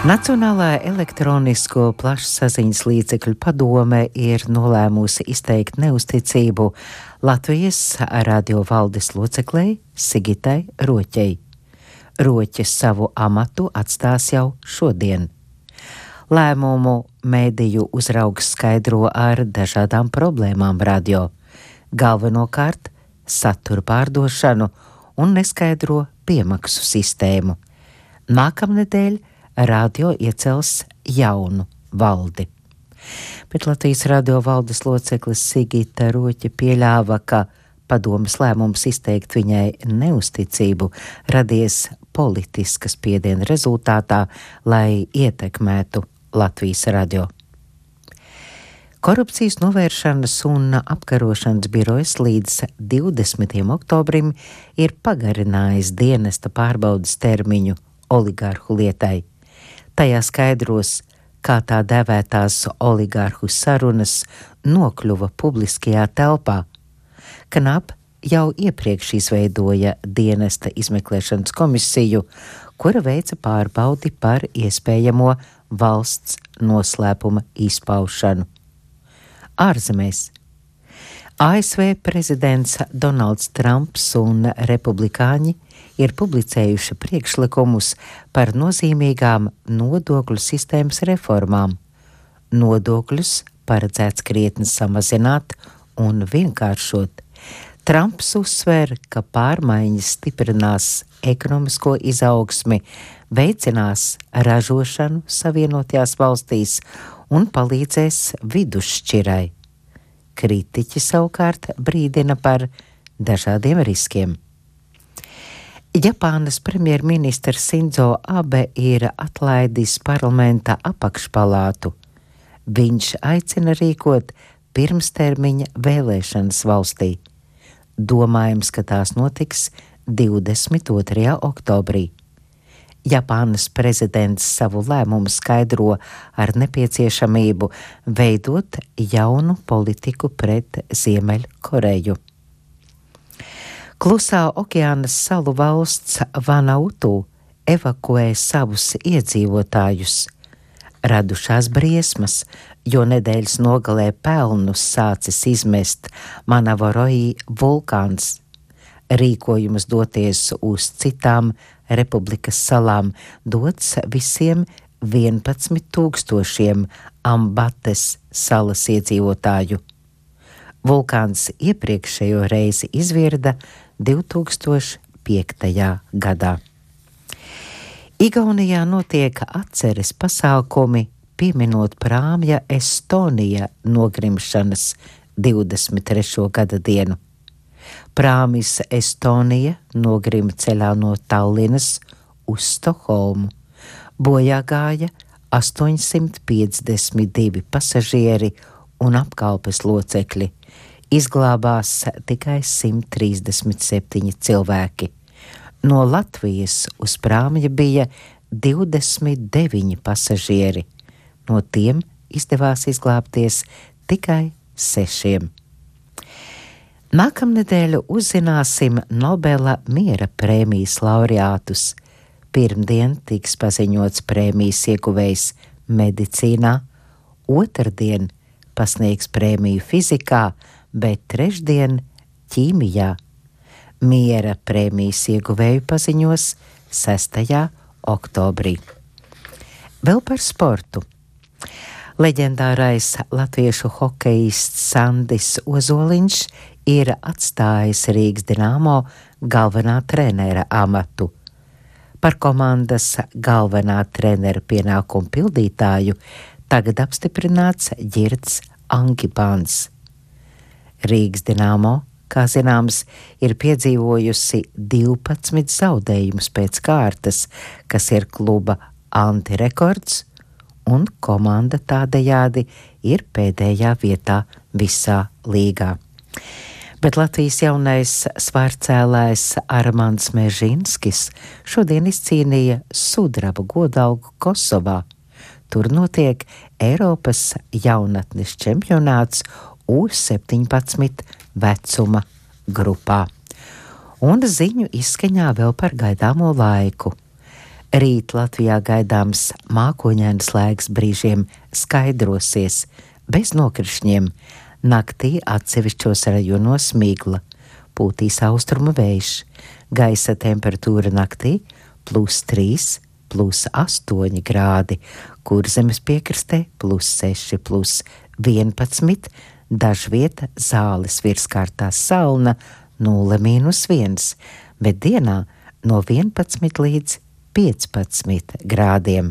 Nacionālā elektronisko plašsaziņas līdzekļu padome ir nolēmusi izteikt neusticību Latvijas radio valdes loceklei Sigitai Roķei. Roķe savu amatu atstās jau šodien. Lēmumu mēdīju uzraugs skaidro ar dažādām problēmām radio, galvenokārt satura pārdošanu un neskaidro piemaksu sistēmu. Nākamnedēļ radio iecels jaunu valdi. Bet Latvijas radio valdes loceklis Sigita Roķe pieļāva, ka padomes lēmums izteikt viņai neusticību radies politiska spiediena rezultātā, lai ietekmētu Latvijas radio. Korupcijas novēršanas un apkarošanas birojas līdz 20. oktobrim ir pagarinājis dienesta pārbaudes termiņu oligarhu lietai. Tajā skaidros, kā tā dēvētās oligarhu sarunas nokļuva publiskajā telpā. KNAP jau iepriekš izveidoja dienesta izmeklēšanas komisiju, kura veica pārbaudi par iespējamo valsts noslēpuma izpaušanu. Ārzemēs. ASV prezidents Donalds Trumps un republikāņi ir publicējuši priekšlikumus par nozīmīgām nodokļu sistēmas reformām. Nodokļus paredzēts krietni samazināt un vienkāršot. Trumps uzsver, ka pārmaiņas stiprinās ekonomisko izaugsmi, veicinās ražošanu Savienotajās valstīs un palīdzēs vidusšķirai. Kritiķi savukārt brīdina par dažādiem riskiem. Japānas premjerministrs Sindzo Abe ir atlaidis parlamenta apakšpalātu. Viņš aicina rīkot pirmstermiņa vēlēšanas valstī. Domājams, ka tās notiks 22. oktobrī. Japānas prezidents savu lēmumu skaidro ar nepieciešamību veidot jaunu politiku pret Ziemeļkoreju. Klusā okeāna salu valsts Vanautu evakuē savus iedzīvotājus. Radušās briesmas, jo nedēļas nogalē pelnus sācis izmest Manavoroji vulkāns. Rīkojums doties uz citām republikas salām dots visiem 11,000 Ambates salas iedzīvotāju. Vulkāns iepriekšējo reizi izvirda 2005. gadā. Igaunijā notiek atceres pasākumi, pieminot prāmja Estonija nogrimšanas 23. gada dienu. Prāmis Estonija nogrima ceļā no Tallinas uz Stokholmu. Bojā gāja 852 pasažieri un apkalpes locekļi. Izglābās tikai 137 cilvēki. No Latvijas uz prāmja bija 29 pasažieri. No tiem izdevās izglābties tikai 6. Nākamnedēļ uzzināsim Nobela miera prēmijas laureātus. Pirmdien tiks paziņots prēmijas ieguvējs medicīnā, otrdien pasniegs prēmiju fizikā, bet trešdien ķīmijā. Miera prēmijas ieguvēju paziņos 6. oktobrī. Vēl par sportu. Leģendārais latviešu hokejists Sandis Ozoliņš ir atstājis Rīgas Dinamo galvenā trenera amatu. Par komandas galvenā trenera pienākumu pildītāju tagad apstiprināts Ģirds Angipāns. Rīgas Dinamo, kā zināms, ir piedzīvojusi 12 zaudējumus pēc kārtas, kas ir kluba antirekords, un komanda tādējādi ir pēdējā vietā visā līgā. Bet Latvijas jaunais svārcēlājs Armands Mežinskis šodien izcīnīja sudraba godalgu Kosovā. Tur notiek Eiropas jaunatnes čempionāts U17 vecuma grupā. Un ziņu izskaņā vēl par gaidāmo laiku. Rīt Latvijā gaidāms mākoņains laiks, brīžiem skaidrosies, bez nokrišņiem. Naktī atsevišķos rajonos migla, pūtīs austrumu vējš. Gaisa temperatūra naktī +3, +8 grādi, Kurzemes piekrastē +6, +11, dažvieta Zāles virskārtā Salna 0–1, bet dienā no 11 līdz 15 grādiem.